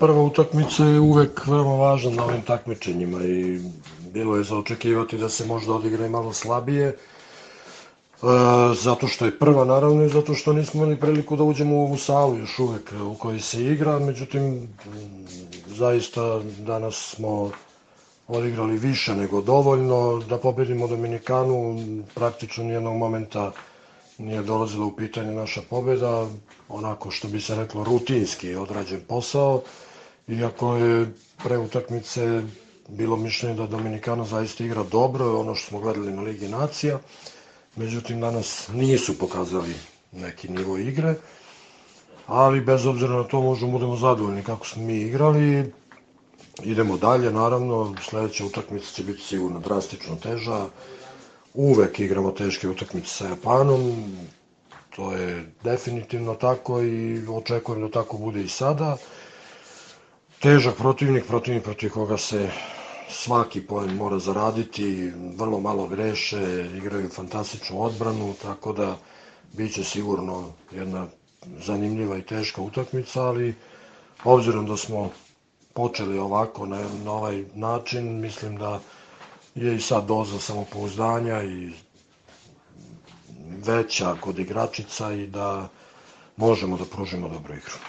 prva utakmica je uvek veoma važna na ovim takmičenjima i bilo je za očekivati da se možda odigra i malo slabije, zato što je prva naravno i zato što nismo imali priliku da uđemo u ovu salu još uvek u kojoj se igra, međutim zaista danas smo odigrali više nego dovoljno da pobedimo Dominikanu, praktično nijednog momenta nije dolazila u pitanje naša pobeda, onako što bi se reklo rutinski odrađen posao, iako je pre utakmice bilo mišljenje da Dominikana zaista igra dobro, ono što smo gledali na Ligi nacija, međutim danas nisu pokazali neki nivo igre, ali bez obzira na to možemo budemo zadovoljni kako smo mi igrali. Idemo dalje, naravno, sledeća utakmica će biti sigurno drastično teža, uvek igramo teške utakmice sa Japanom, to je definitivno tako i očekujem da tako bude i sada. Težak protivnik protiv koga se svaki poen mora zaraditi, vrlo malo greše, igraju fantastičnu odbranu, tako da biće sigurno jedna zanimljiva i teška utakmica, ali obzirom da smo počeli ovako na ovaj način, mislim da je i sad doza samopouzdanja i veća kod igračica i da možemo da pružimo dobru igru.